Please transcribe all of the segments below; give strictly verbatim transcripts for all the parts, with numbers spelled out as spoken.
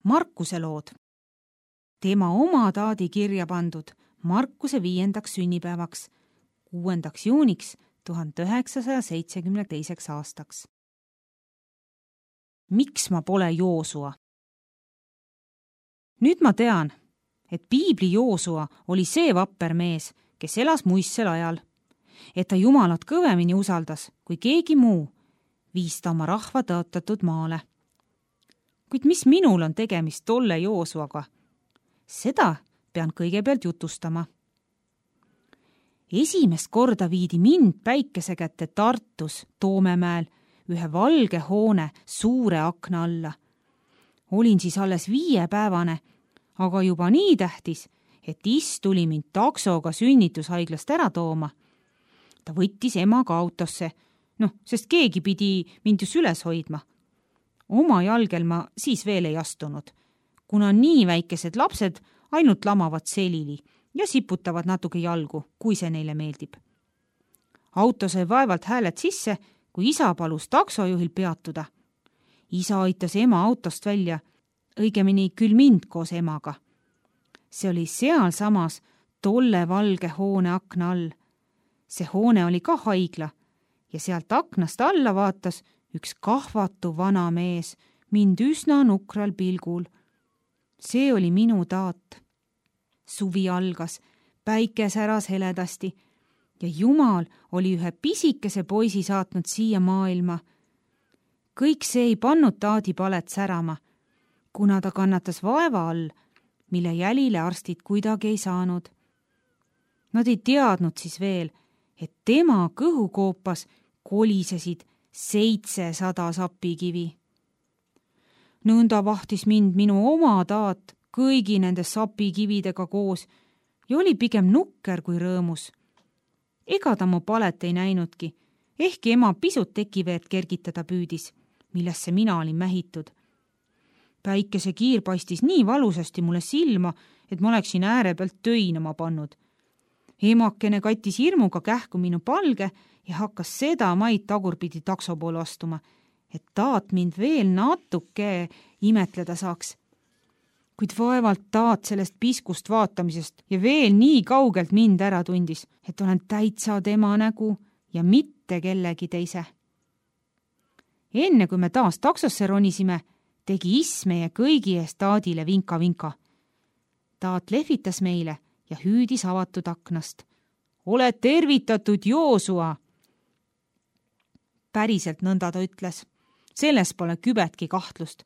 Markuse lood. Tema oma taadi kirja pandud Markuse viiendaks sünnipäevaks, kuuendaks juuniks tuhande üheksasaja seitsekümne teiseks aastaks. Miks ma pole Joosua? Nüüd ma tean, et piibli Joosua oli see vapper mees, kes elas muistsel ajal, et ta Jumalat kõvemini usaldas kui keegi muu, viis ta oma rahva tõotatud maale. Kuid mis minul on tegemist tolle Joosuaga? Seda pean kõigepealt jutustama. Esimest korda viidi mind päikese kätte Tartus Toomemäel ühe valge hoone suure akna alla. Olin siis alles viiepäevane, aga juba nii tähtis, et is tuli mind taksoga sünnitushaiglast ära tooma. Ta võttis emaga autosse, noh, sest keegi pidi mind just üles hoidma. Oma jalgel ma siis veel ei astunud, kuna nii väikesed lapsed ainult lamavad selili ja siputavad natuke jalgu, kui see neile meeldib. Auto sai vaevalt hääled sisse, kui isa palus taksojuhil peatuda. Isa aitas ema autost välja, õigemini küll mind koos emaga. See oli seal samas tolle valge hoone akna all. See hoone oli ka haigla ja sealt aknast alla vaatas üks kahvatu vana mees mind üsna nukral pilgul. See oli minu taat. Suvi algas, päike säras heledasti ja Jumal oli ühe pisikese poisi saatnud siia maailma. Kõik see ei pannud taadi palet särama, kuna ta kannatas vaeva all, mille jälile arstid kuidagi ei saanud. Nad ei teadnud siis veel, et tema kõhukoopas kolisesid seitsesada sapikivi. Nõnda vahtis mind minu oma taat kõigi nende sapikividega koos ja oli pigem nukker kui rõõmus. Ega ta mu palet ei näinudki, ehkki ema pisut tekiveed kergitada püüdis, millesse mina olin mähitud. Päikese kiir paistis nii valusasti mulle silma, et ma oleksin ääre pealt töinama pannud. Emakene kattis hirmuga kähku minu palge ja hakkas seda maid tagurpidi takso poole astuma, et taat mind veel natuke imetleda saaks. Kuid vaevalt taat sellest piskust vaatamisest ja veel nii kaugelt mind ära tundis, et olen täitsa tema nägu ja mitte kellegi teise. Enne kui me taas taksosse ronisime, tegi is meie kõigi eest taadile vinka-vinka. Taat lehvitas meile ja hüüdis avatud aknast. Ole tervitatud, Joosua! Päriselt nõnda ta ütles. Selles pole kübetki kahtlust,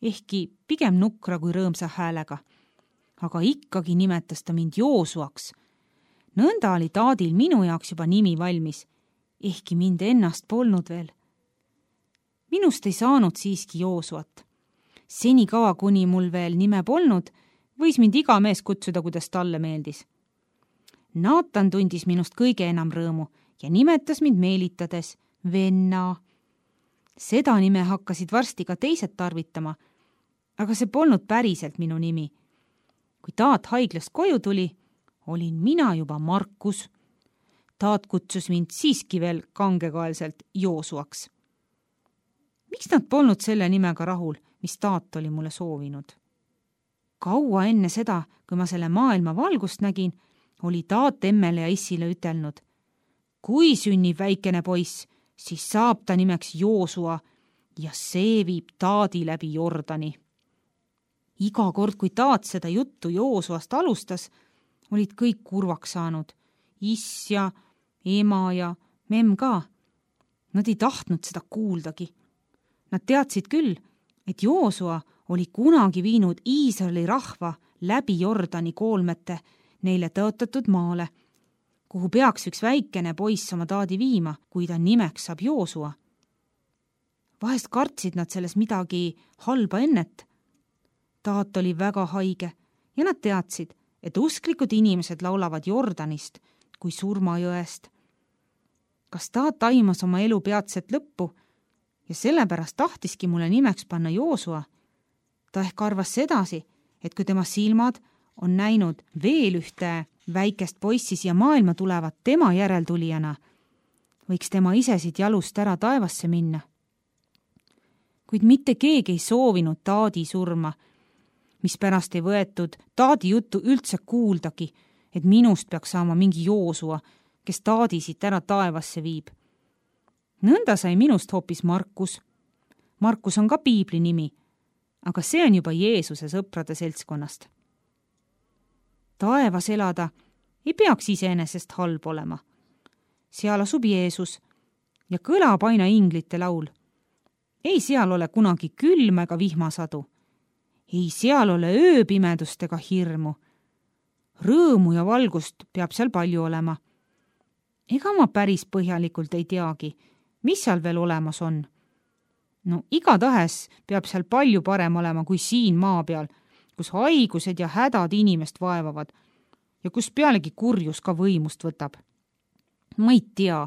ehkki pigem nukra kui rõõmsa häälega. Aga ikkagi nimetas ta mind Joosuaks. Nõnda oli taadil minu jaoks juba nimi valmis, ehkki mind ennast polnud veel. Minust ei saanud siiski Joosuat. Senikaua, kuni mul veel nime polnud, võis mind iga mees kutsuda, kuidas talle meeldis. Naatan tundis minust kõige enam rõõmu ja nimetas mind meelitades venna. Seda nime hakkasid varsti ka teised tarvitama, aga see polnud päriselt minu nimi. Kui taat haiglast koju tuli, olin mina juba Markus. Taat kutsus mind siiski veel kangekaelselt Joosuaks. Miks nad polnud selle nimega rahul, mis taat oli mulle soovinud? Kaua enne seda, kui ma selle maailma valgust nägin, oli taat emmele ja issile ütelnud. Kui sünnib väikene poiss, siis saab ta nimeks Joosua ja see viib taadi läbi Jordani. Iga kord, kui taat seda juttu Joosuast alustas, olid kõik kurvaks saanud. Is ja ema ja memm ka. Nad ei tahtnud seda kuuldagi. Nad teadsid küll, et Joosua oli kunagi viinud Iisraeli rahva läbi Jordani koolmete neile tõotatud maale, kuhu peaks üks väikene poiss oma taadi viima, kui ta nimeks saab Joosua. Vahest kartsid nad selles midagi halba ennet. Taat oli väga haige ja nad teadsid, et usklikud inimesed laulavad Jordanist kui surmajõest. Kas taat aimas oma elu peatset lõppu ja sellepärast tahtiski mulle nimeks panna Joosua? Ta ehk arvas sedasi, et kui tema silmad on näinud veel ühte väikest poissi siia maailma tulevat tema järeltulijana, võiks tema ise siit jalust ära taevasse minna. Kuid mitte keegi ei soovinud taadi surma mis pärast ei võetud Taadi juttu üldse kuuldagi, et minust peaks saama mingi Joosua, kes Taadi siit ära taevasse viib. Nõnda sai minust hoopis Markus. Markus on ka piibli nimi, aga see on juba Jeesuse sõprade seltskonnast. Taevas elada ei peaks iseenesest halb olema. Seal asub Jeesus ja kõlab aina inglite laul. Ei seal ole kunagi külm ega vihmasadu. Ei seal ole ööpimedust ega hirmu. Rõõmu ja valgust peab seal palju olema. Ega ma päris põhjalikult ei teagi, mis seal veel olemas on. No igatahes peab seal palju parem olema kui siin maa peal, kus haigused ja hädad inimest vaevavad ja kus pealegi kurjus ka võimust võtab. Ma ei tea,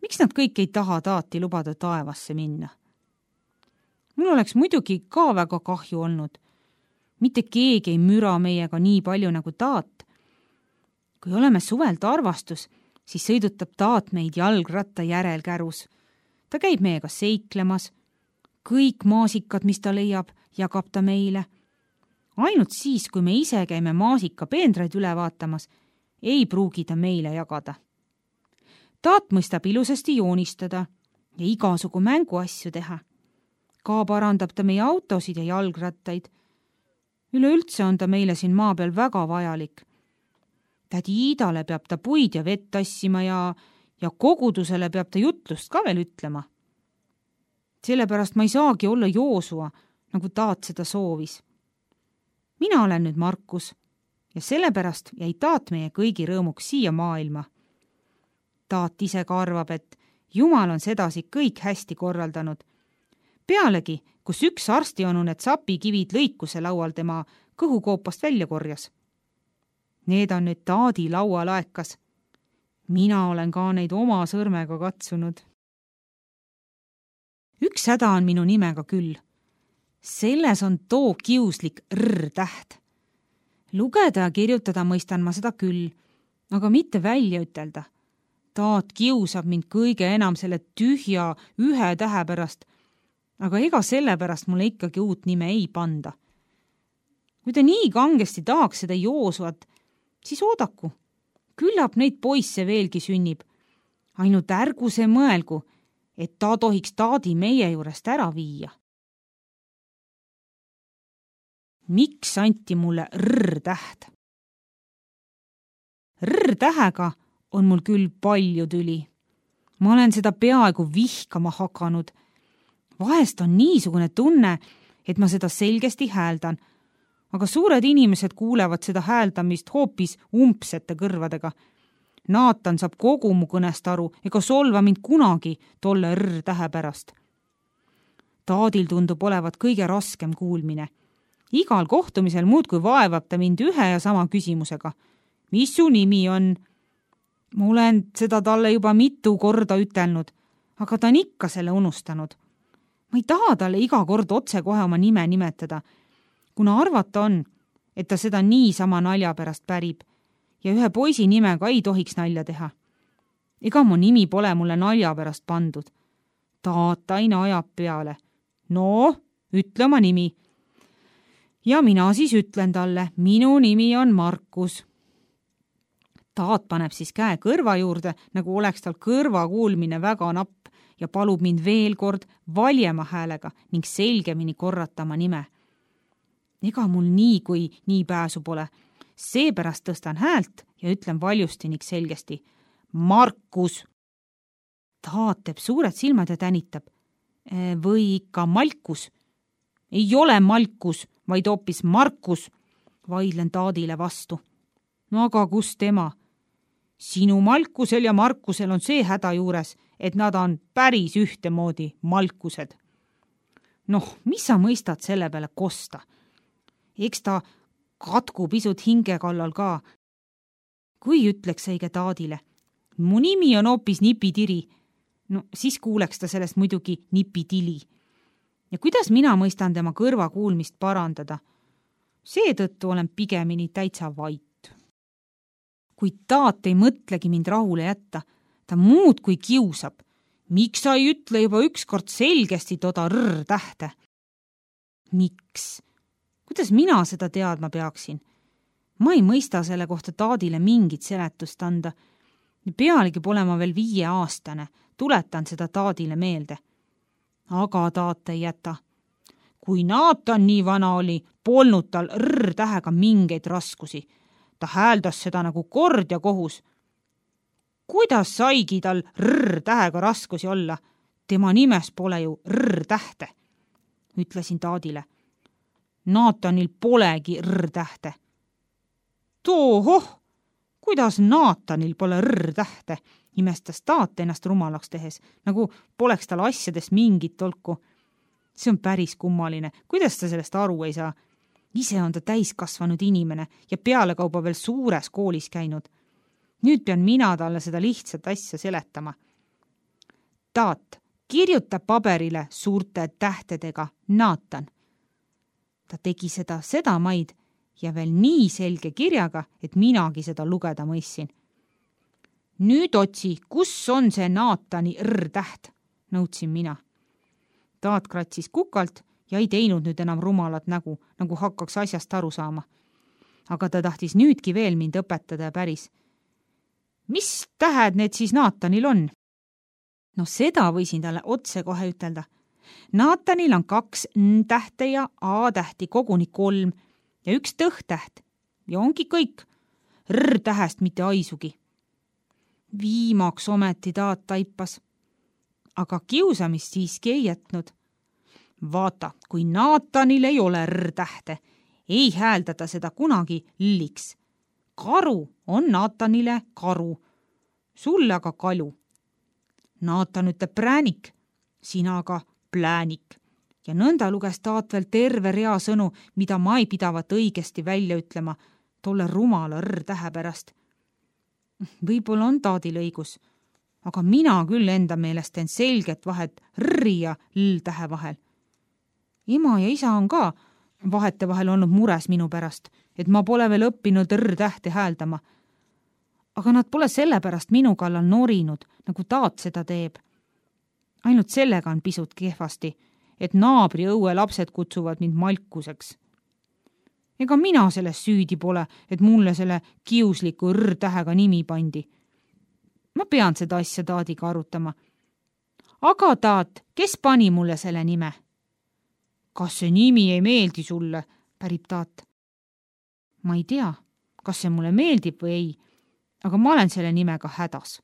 miks nad kõik ei taha Taati lubada taevasse minna. Mul oleks muidugi ka väga kahju olnud. Mitte keegi ei müra meiega nii palju nagu Taat. Kui oleme suvel tarvastus, siis sõidutab Taat meid jalgratta järel kärus. Ta käib meiega seiklemas. Kõik maasikad, mis ta leiab, jagab ta meile. Ainult siis, kui me ise käime maasika peendraid üle vaatamas, ei pruugi ta meile jagada. Taat mõistab ilusasti joonistada ja igasugu mänguasju teha. Ka parandab ta meie autosid ja jalgrattaid. Üleüldse on ta meile siin maa peal väga vajalik. Tädi Iidale peab ta puid ja vett tassima ja, ja kogudusele peab ta jutlust ka veel ütlema. Sellepärast ma ei saagi olla Joosua, nagu Taat seda soovis. Mina olen nüüd Markus ja sellepärast jäi Taat meie kõigi rõõmuks siia maailma. Taat ise ka arvab, et Jumal on sedasi kõik hästi korraldanud. Pealegi, kus üks arstionu need sapikivid lõikuse laual tema kõhukoopast välja korjas. Need on nüüd Taadi laualaekas. Mina olen ka neid oma sõrmega katsunud. Üks häda on minu nimega küll. Selles on too kiuslik R-täht. Lugeda ja kirjutada mõistan ma seda küll, aga mitte välja ütelda. Taat kiusab mind kõige enam selle tühja ühe tähe pärast, aga ega selle pärast mulle ikkagi uut nime ei panda. Kui ta nii kangesti tahaks seda Joosuat, siis oodaku. Küllap neid poisse veelgi sünnib. Ainult ärgu see mõelgu, et ta tohiks Taadi meie juurest ära viia. Miks anti mulle R-täht? R-tähega on mul küll palju tüli. Ma olen seda peaaegu vihkama hakanud. Vahest on niisugune tunne, et ma seda selgesti hääldan, aga suured inimesed kuulevad seda hääldamist hoopis umbsete kõrvadega. Naatan saab kogu mu kõnest aru ega solva mind kunagi tolle R-tähe pärast. Taadil tundub olevat kõige raskem kuulmine. Igal kohtumisel muudkui vaevab ta mind ühe ja sama küsimusega. Mis su nimi on? Ma olen seda talle juba mitu korda ütelnud, aga ta on ikka selle unustanud. Ma ei taha talle iga kord otse kohe oma nime nimetada, kuna arvata on, et ta seda niisama nalja pärast pärib ja ühe poisi nimega ei tohiks nalja teha. Ega mu nimi pole mulle nalja pärast pandud. Taat aina ajab peale. No, ütle oma nimi. Ja mina siis ütlen talle, minu nimi on Markus. Taat paneb siis käe kõrva juurde, nagu oleks tal kõrva kuulmine väga napp ja palub mind veel kord valjema häälega ning selgemini korrata oma nime. Ega mul nii kui nii pääsu pole. Seepärast tõstan häält ja ütlen valjusti ning selgesti. Markus! Taat teeb suured silmad ja tänitab. Või ikka Malkus? Ei ole Malkus, vaid hoopis Markus, vaidlen Taadile vastu. No aga kus tema? Sinu Malkusel ja Markusel on see häda juures, et nad on päris ühtemoodi Malkused. Noh, mis sa mõistad selle peale kosta? Eks ta katku pisut hinge kallal ka. Kui ütleks õige Taadile, mu nimi on hoopis Nipitiri, no siis kuuleks ta sellest muidugi Nipitili. Ja kuidas mina mõistan tema kõrva kuulmist parandada? Seetõttu olen pigemini täitsa vait. Kui Taat ei mõtlegi mind rahule jätta, ta muud kui kiusab. Miks sa ei ütle juba ükskord selgesti toda R-tähte? Miks? kuidas mina seda teadma peaksin? Ma ei mõista selle kohta Taadile mingit seletust anda. Pealegi pole ma veel viieaastane, tuletan seda Taadile meelde. Aga Taat ei jäta. Kui Naatan nii vana oli, polnud tal R-tähega mingeid raskusi. Ta hääldas seda nagu kord ja kohus. Kuidas saigi tal R-tähega raskusi olla? Tema nimes pole ju R-tähte, ütlesin Taadile. Naatanil polegi R-tähte. Toohoh, kuidas Naatanil pole R-tähte, imestas Taat ennast rumalaks tehes, nagu poleks tal asjadest mingit tolku. See on päris kummaline, kuidas ta sellest aru ei saa. Ise on ta täiskasvanud inimene ja pealekauba veel suures koolis käinud. Nüüd pean mina talle seda lihtsat asja seletama. Taat, kirjuta paberile suurte tähtedega Naatan. Ta tegi seda sedamaid ja veel nii selge kirjaga, et minagi seda lugeda mõissin. Nüüd otsi, kus on see Naatani R-täht, nõudsin mina. Taat kratsis kukalt ja ei teinud nüüd enam rumalat nägu, nagu hakkaks asjast aru saama. Aga ta tahtis nüüdki veel mind õpetada ja päris. Mis tähed need siis Naatanil on? No seda võisin talle otse kohe ütelda. Naatanil on kaks N-tähte ja A-tähti koguni kolm ja üks tõhtäht ja ongi kõik. R-tähest mitte aisugi. Viimaks ometi Taat taipas. Aga kiusamist siiski ei jätnud. Vaata, kui Naatanil ei ole R-tähte, ei hääldata seda kunagi L-iks. Karu on Naatanile karu, sulle aga kalu. Naatan ütleb präänik, sina aga pläänik. Ja nõnda luges Taat veel terve rea sõnu, mida ma ei pidavat õigesti välja ütlema, tolle rumala R-tähe pärast. Võib-olla on Taadil õigus, aga mina küll enda meelest teen selget vahet R-i ja L-tähe vahel. Ema ja isa on ka vahete vahel olnud mures minu pärast, et ma pole veel õppinud R-tähte hääldama. Aga nad pole sellepärast minu kallal norinud, nagu Taat seda teeb. Ainult sellega on pisut kehvasti, et naabri õue lapsed kutsuvad mind malkuseks. Ega mina selles süüdi pole, et mulle selle kiusliku R-tähega nimi pandi. Ma pean seda asja Taadiga arutama. Aga Taat, kes pani mulle selle nime? Kas see nimi ei meeldi sulle, pärib Taat. Ma ei tea, kas see mulle meeldib või ei, aga ma olen selle nimega hädas.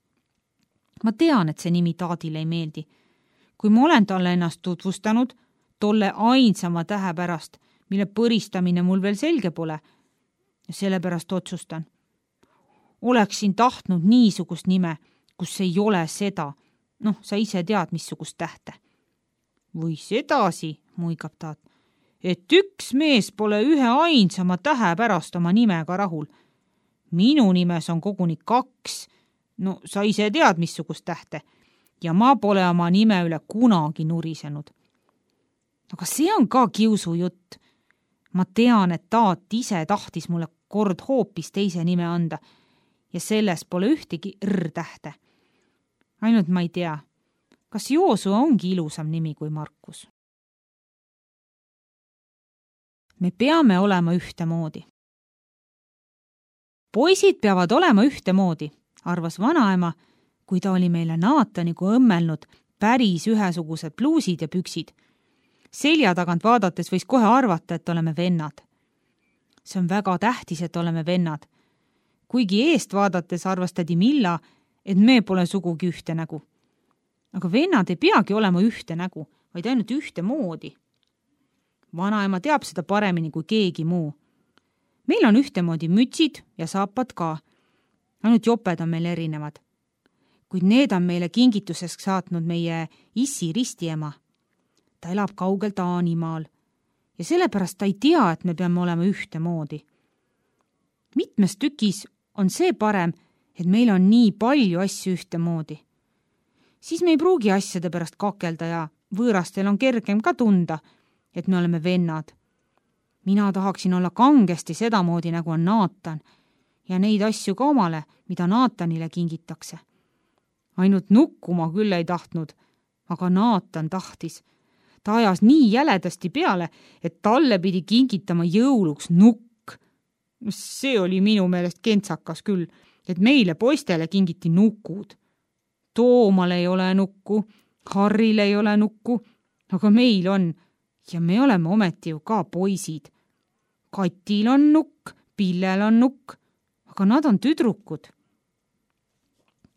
Ma tean, et see nimi Taadile ei meeldi. Kui ma olen talle ennast tutvustanud, tolle ainsama tähe pärast, mille põristamine mul veel selge pole, ja sellepärast otsustan. Oleksin tahtnud niisugust nime, kus ei ole seda, noh, sa ise tead, missugust tähte. Või sedasi, muigab Taat, et üks mees pole ühe ainsama tähe pärast oma nimega rahul. Minu nimes on koguni kaks, no sa ise tead, missugust tähte, ja ma pole oma nime üle kunagi nurisenud. Aga see on ka kiusu jutt. Ma tean, et Taat ise tahtis mulle kord hoopis teise nime anda ja selles pole ühtegi R-tähte. Ainult ma ei tea, kas Joosua ongi ilusam nimi kui Markus. Me peame olema ühtemoodi. Poisid peavad olema ühtemoodi, arvas vanaema, kui ta oli meile Naatanigu õmmelnud päris ühesugused pluusid ja püksid. Selja tagant vaadates võis kohe arvata, et oleme vennad. See on väga tähtis, et oleme vennad. Kuigi eest vaadates arvas tädi Milla, et me pole sugugi ühte nägu. Aga vennad ei peagi olema ühte nägu, vaid ainult ühte moodi. Vanaema teab seda paremini kui keegi muu. Meil on ühtemoodi mütsid ja saapad ka. Ainult joped on meil erinevad. Kuid need on meile kingituseks saatnud meie issi ristiema. Ta elab kaugel Taanimaal ja sellepärast ta ei tea, et me peame olema ühtemoodi. Mitmes tükis on see parem, et meil on nii palju asju ühtemoodi. Siis me ei pruugi asjade pärast kakelda ja võõrastel on kergem ka tunda, et me oleme vennad. Mina tahaksin olla kangesti sedamoodi, nagu on Naatan ja neid asju ka omale, mida Naatanile kingitakse. Ainult nukkuma küll ei tahtnud, aga Naatan tahtis. Ta ajas nii jäledasti peale, et talle pidi kingitama jõuluks nukk. See oli minu meelest kentsakas küll, et meile poistele kingiti nukud. Toomal ei ole nukku, Harril ei ole nukku, aga meil on ja me oleme ometi ju ka poisid. Katil on nukk, Pillel on nukk, aga nad on tüdrukud.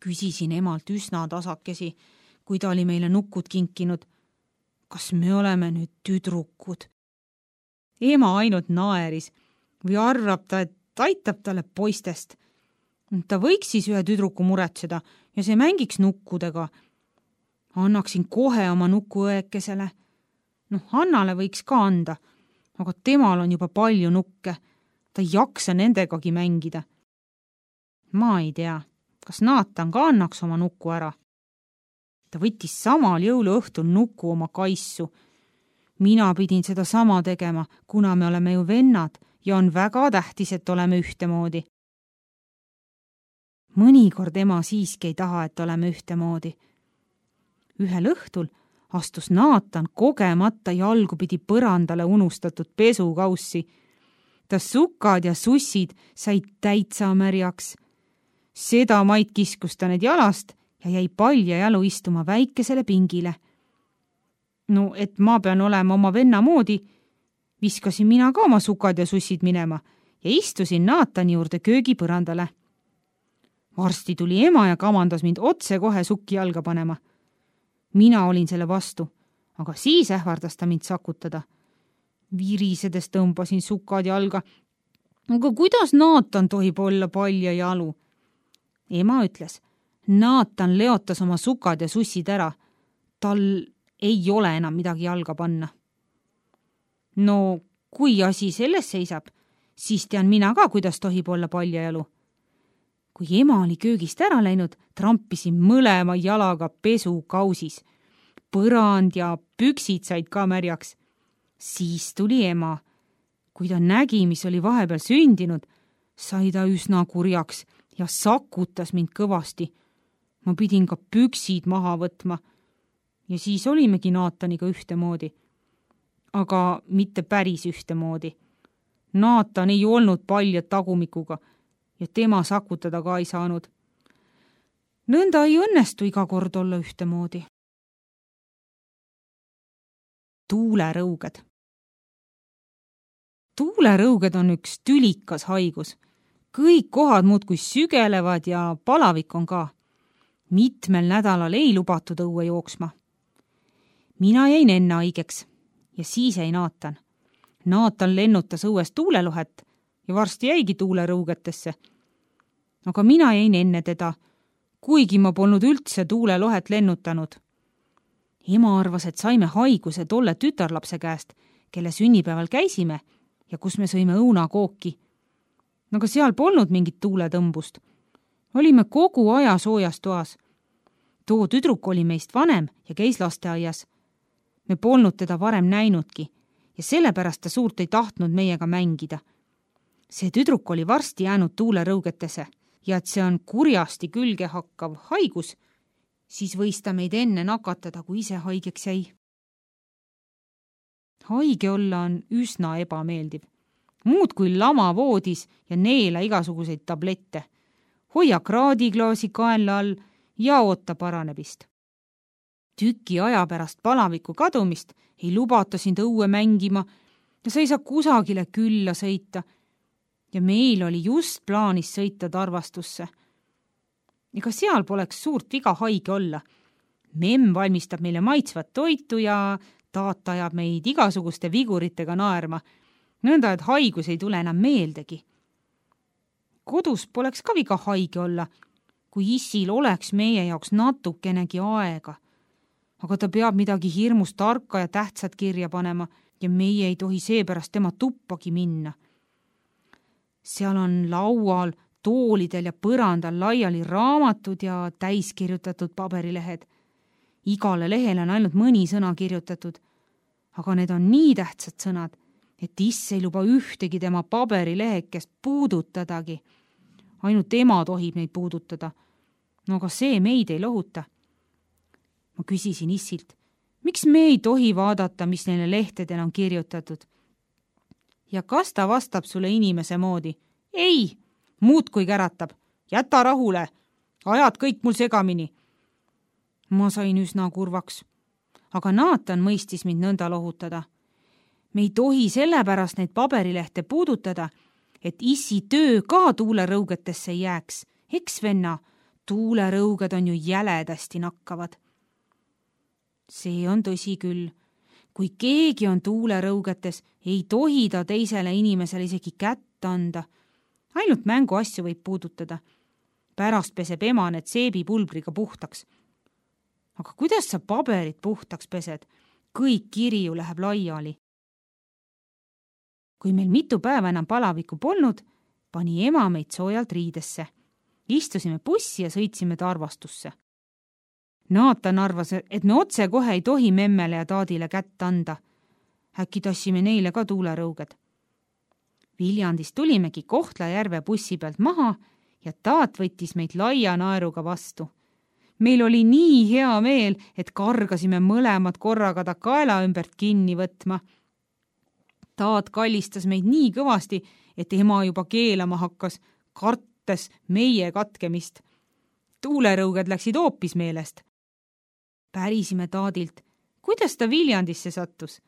Küsisin emalt üsna tasakesi, kui ta oli meile nukud kinkinud. Kas me oleme nüüd tüdrukud? Ema ainult naeris või arvab ta, et aitab talle poistest. Ta võiks siis ühe tüdruku muretseda ja see mängiks nukkudega. Annaksin kohe oma nuku õekesele. Noh, Hannale võiks ka anda, aga temal on juba palju nukke. Ta ei jaksa nendegagi mängida. Ma ei tea, kas Naatan ka annaks oma nuku ära. Ta võttis samal jõuluõhtul nuku oma kaissu. Mina pidin seda sama tegema, kuna me oleme ju vennad ja on väga tähtis, et oleme ühtemoodi. Mõnikord ema siiski ei taha, et oleme ühtemoodi. Ühel õhtul astus Naatan kogemata jalgu pidi põrandale unustatud pesukaussi. Ta sukad ja sussid said täitsa märjaks. Seda Mait kiskus ta need jalast ja jäi palja jalu istuma väikesele pingile. No, et ma pean olema oma venna moodi, viskasin mina ka oma sukad ja sussid minema ja istusin Naatani juurde köögipõrandale. Varsti tuli ema ja kamandas mind otse kohe sukki jalga panema. Mina olin selle vastu, aga siis ähvardas ta mind sakutada. Virisedes tõmbasin sukad jalga. Aga kuidas Naatan tohib olla palja jalu? Ema ütles, Naatan leotas oma sukad ja sussid ära. Tal ei ole enam midagi jalga panna. No, kui asi selles seisab, siis tean mina ka, kuidas tohib olla palja jalu. Kui ema oli köögist ära läinud, trampisin mõlema jalaga pesukausis. Põrand ja püksid said ka märjaks. Siis tuli ema. Kui ta nägi, mis oli vahepeal sündinud, sai ta üsna kurjaks ja sakutas mind kõvasti. Ma pidin ka püksid maha võtma. Ja siis olimegi Naataniga ühtemoodi. Aga mitte päris ühtemoodi. Naatan ei olnud palja tagumikuga ja tema sakutada ka ei saanud. Nõnda ei õnnestu iga kord olla ühtemoodi. Tuulerõuged. Tuulerõuged on üks tülikas haigus. Kõik kohad muudkui sügelevad ja palavik on ka. Mitmel nädalal ei lubatud õue jooksma. Mina jäin enne haigeks ja siis jäi Naatan. Naatan lennutas õues tuulelohet ja varsti jäigi tuulerõugetesse. Aga mina jäin enne teda, kuigi ma polnud üldse tuulelohet lennutanud. Ema arvas, et saime haiguse tolle tütarlapse käest, kelle sünnipäeval käisime ja kus me sõime õunakooki. Aga seal polnud mingit tuuletõmbust. Olime kogu aja soojas toas. Too tüdruk oli meist vanem ja käis lasteaias. Me polnud teda varem näinudki ja sellepärast ta suurt ei tahtnud meiega mängida. See tüdruk oli varsti jäänud tuulerõugetesse ja et see on kurjasti külge hakkav haigus, siis võis ta meid enne nakatada, kui ise haigeks jäi. Haige olla on üsna ebameeldiv. Muud kui lama voodis ja neela igasuguseid tablette. Hoia kraadiklaasi kaenla all ja oota paranebist. Tüki aja pärast palaviku kadumist ei lubata sind õue mängima ja sa ei saa kusagile külla sõita. Ja meil oli just plaanis sõita Tarvastusse. Ega seal poleks suurt viga haige olla. Memm valmistab meile maitsvat toitu ja taat ajab meid igasuguste viguritega naerma, nõnda, et haigus ei tule enam meeldegi. Kodus poleks ka viga haige olla, kui issil oleks meie jaoks natukenegi aega. Aga ta peab midagi hirmus tarka ja tähtsat kirja panema ja meie ei tohi seepärast tema tuppagi minna. Seal on laual, toolidel ja põrandal laiali raamatud ja täiskirjutatud paberilehed. Igale lehele on ainult mõni sõna kirjutatud, aga need on nii tähtsad sõnad, et iss ei luba ühtegi tema paberilehekest puudutadagi. Ainult ema tohib neid puudutada. No aga see meid ei lohuta. Ma küsisin issilt, Miks me ei tohi vaadata, mis neile lehtedel on kirjutatud? Ja kas ta vastab sulle inimese moodi? Ei, muudkui käratab. Jäta rahule, ajad kõik mul segamini. Ma sain üsna kurvaks, aga Naatan mõistis mind nõnda lohutada. Me ei tohi sellepärast neid paberilehte puudutada, et issi töö ka tuulerõugetesse jääks. Eks venna, tuulerõuged on ju jäledasti nakkavad. See on tõsi küll. Kui keegi on tuulerõugetes, ei tohi ta teisele inimesele isegi kätt anda. Ainult mängu asju võib puudutada. Pärast peseb ema need seebipulbriga puhtaks. Aga kuidas sa paberit puhtaks pesed? Kõik kirju läheb laiali. Kui meil mitu päeva enam palavikku polnud, pani ema meid soojalt riidesse. Istusime bussi ja sõitsime Tarvastusse. Naatan arvas, et me otse kohe ei tohi memmele ja taadile kätt anda. Äkki tassime neile ka tuulerõuged. Viljandist tulimegi Kohtla-Järve bussi pealt maha ja taat võttis meid laia naeruga vastu. Meil oli nii hea meel, et kargasime mõlemad korraga ta kaela ümbert kinni võtma. Taat kallistas meid nii kõvasti, et ema juba keelama hakkas, kartes meie katkemist. Tuulerõuged läksid hoopis meelest. Pärisime taadilt, kuidas ta Viljandisse sattus.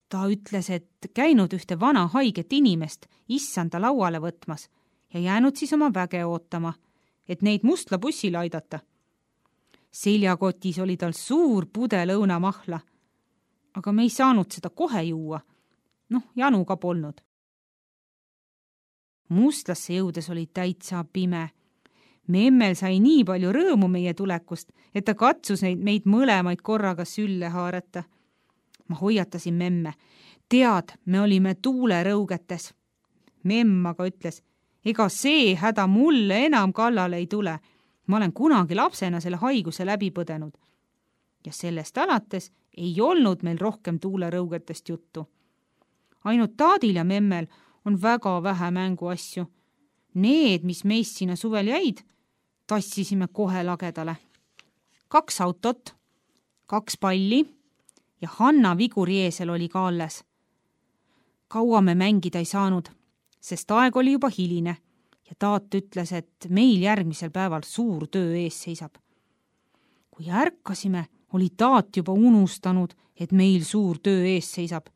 Ta ütles, et käinud ühte vana haiget inimest issanda lauale võtmas ja jäänud siis oma väge ootama, et neid mustla bussile aidata. Seljakotis oli tal suur pudel õunamahla, aga me ei saanud seda kohe juua. Noh, janu ka polnud. Mustlasse jõudes oli täitsa pime. Memmel sai nii palju rõõmu meie tulekust, et ta katsus neid meid mõlemaid korraga sülle haarata. Ma hoiatasin memme. Tead, me olime tuulerõugetes. Memm aga ütles, ega see häda mulle enam kallale ei tule. Ma olen kunagi lapsena selle haiguse läbi põdenud. Ja sellest alates ei olnud meil rohkem tuulerõugetest juttu. Ainult taadil ja memmel on väga vähe mänguasju. Need, mis meist sinna suvel jäid, tassisime kohe lagedale. Kaks autot, kaks palli ja Hanna viguri eesel oli ka alles. Kaua me mängida ei saanud, sest aeg oli juba hiline ja taat ütles, et meil järgmisel päeval suur töö ees seisab. Kui ärkasime, oli taat juba unustanud, et meil suur töö ees seisab.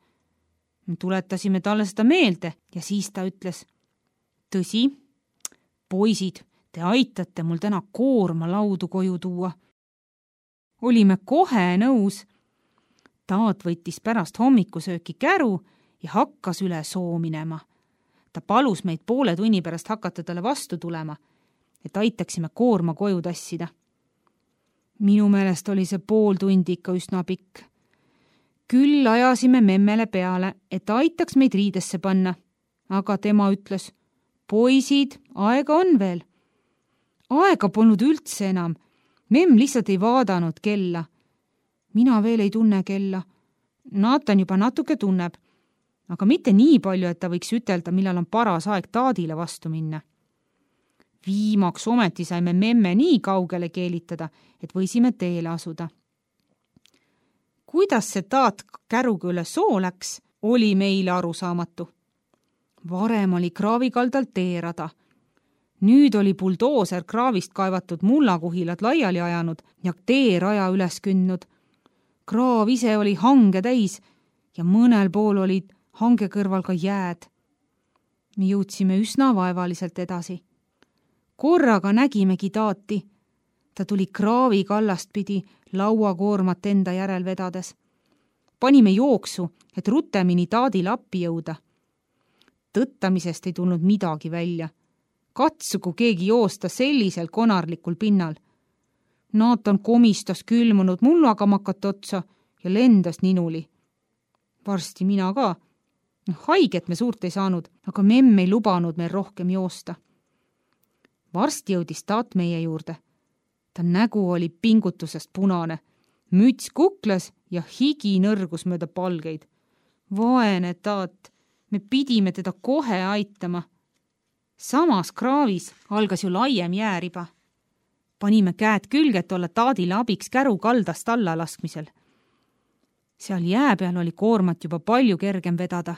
Me tuletasime talle seda meelde ja siis ta ütles, tõsi, poisid, te aitate mul täna koorma laudu koju tuua. Olime kohe nõus. Taat võttis pärast hommikusööki käru ja hakkas üle soo minema. Ta palus meid poole tunni pärast hakata talle vastu tulema, et aitaksime koorma koju tassida. Minu meelest oli see pool tundi ikka üsna pikk. Küll ajasime memmele peale, et aitaks meid riidesse panna, aga tema ütles, poisid, aega on veel. Aega polnud üldse enam. Memm lihtsalt ei vaadanud kella. Mina veel ei tunne kella. Naatan juba natuke tunneb, aga mitte nii palju, et ta võiks ütelda, millal on paras aeg taadile vastu minna. Viimaks ometi saime memme nii kaugele keelitada, et võisime teele asuda. Kuidas see taat käruga üle soo läks, oli meile arusaamatu. Varem oli kraavikaldal teerada. Nüüd oli buldooser kraavist kaevatud mullakuhilad laiali ajanud ja teeraja üles kündnud. Kraav ise oli hange täis ja mõnel pool olid hange kõrval ka jääd. Me jõudsime üsna vaevaliselt edasi. Korraga nägimegi taati. Ta tuli kraavi kallast pidi lauakoormat enda järel vedades. Panime jooksu, et rutemini taadile appi jõuda. Tõttamisest ei tulnud midagi välja. Katsugu keegi joosta sellisel konarlikul pinnal. Naatan komistas külmunud mullagamakat otsa ja lendas ninuli. Varsti mina ka. Haiget me suurt ei saanud, aga memm ei lubanud meil rohkem joosta. Varsti jõudis taat meie juurde. Ta nägu oli pingutusest punane, müts kuklas ja higi nõrgus mööda palgeid. Vaene taat, me pidime teda kohe aitama. Samas kraavis algas ju laiem jääriba. Panime käed külge, et olla taadile abiks käru kaldast alla laskmisel. seal jää peal oli koormat juba palju kergem vedada.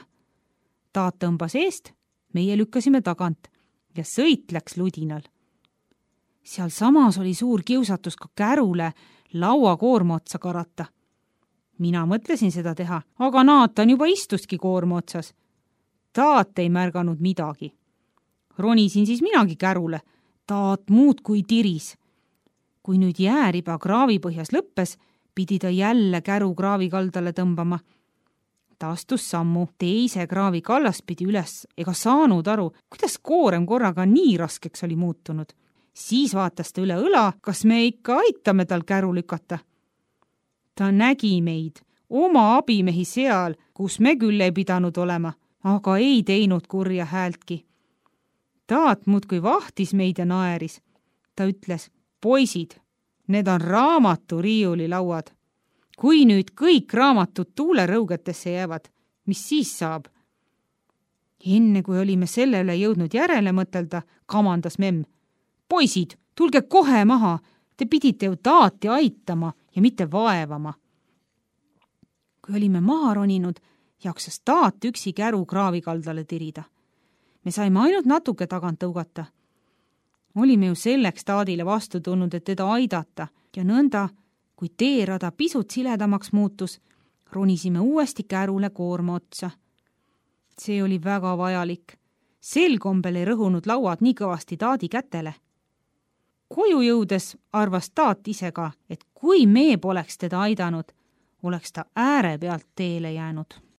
Taat tõmbas eest, meie lükkasime tagant ja sõit läks ludinal. Seal samas oli suur kiusatus ka kärule laua koorma otsa karata. Mina mõtlesin seda teha, aga Naatan juba istuski koorma otsas. Taat ei märganud midagi. Ronisin siis minagi kärule, Taat muud kui tiris. Kui nüüd jääriba kraavi põhjas lõppes, pidi ta jälle käru kraavi kaldale tõmbama. Ta astus sammu teise kraavi kallast pidi üles ega saanud aru, kuidas koorem korraga nii raskeks oli muutunud. Siis vaatas ta üle õla, kas me ikka aitame tal käru lükata. Ta nägi meid, oma abimehi seal, kus me küll ei pidanud olema, aga ei teinud kurja häältki. Taat muudkui vahtis meid ja naeris. Ta ütles, poisid, need on raamaturiiuli lauad. Kui nüüd kõik raamatud tuulerõugetesse jäävad, mis siis saab? Enne kui olime selle üle jõudnud järele mõtelda, kamandas memm. Poisid, tulge kohe maha, te pidite ju Taati aitama ja mitte vaevama. Kui olime maha roninud, jaksas Taat üksi käru kraavi kaldale tirida. Me saime ainult natuke tagant tõugata. Olime ju selleks Taadile vastu tulnud, et teda aidata ja nõnda, kui teerada pisut siledamaks muutus, ronisime uuesti kärule koorma otsa. See oli väga vajalik. Sel kombel ei rõhunud lauad nii kõvasti Taadi kätele. Koju jõudes arvas Taat ise ka, et kui me poleks teda aidanud, oleks ta ääre pealt teele jäänud.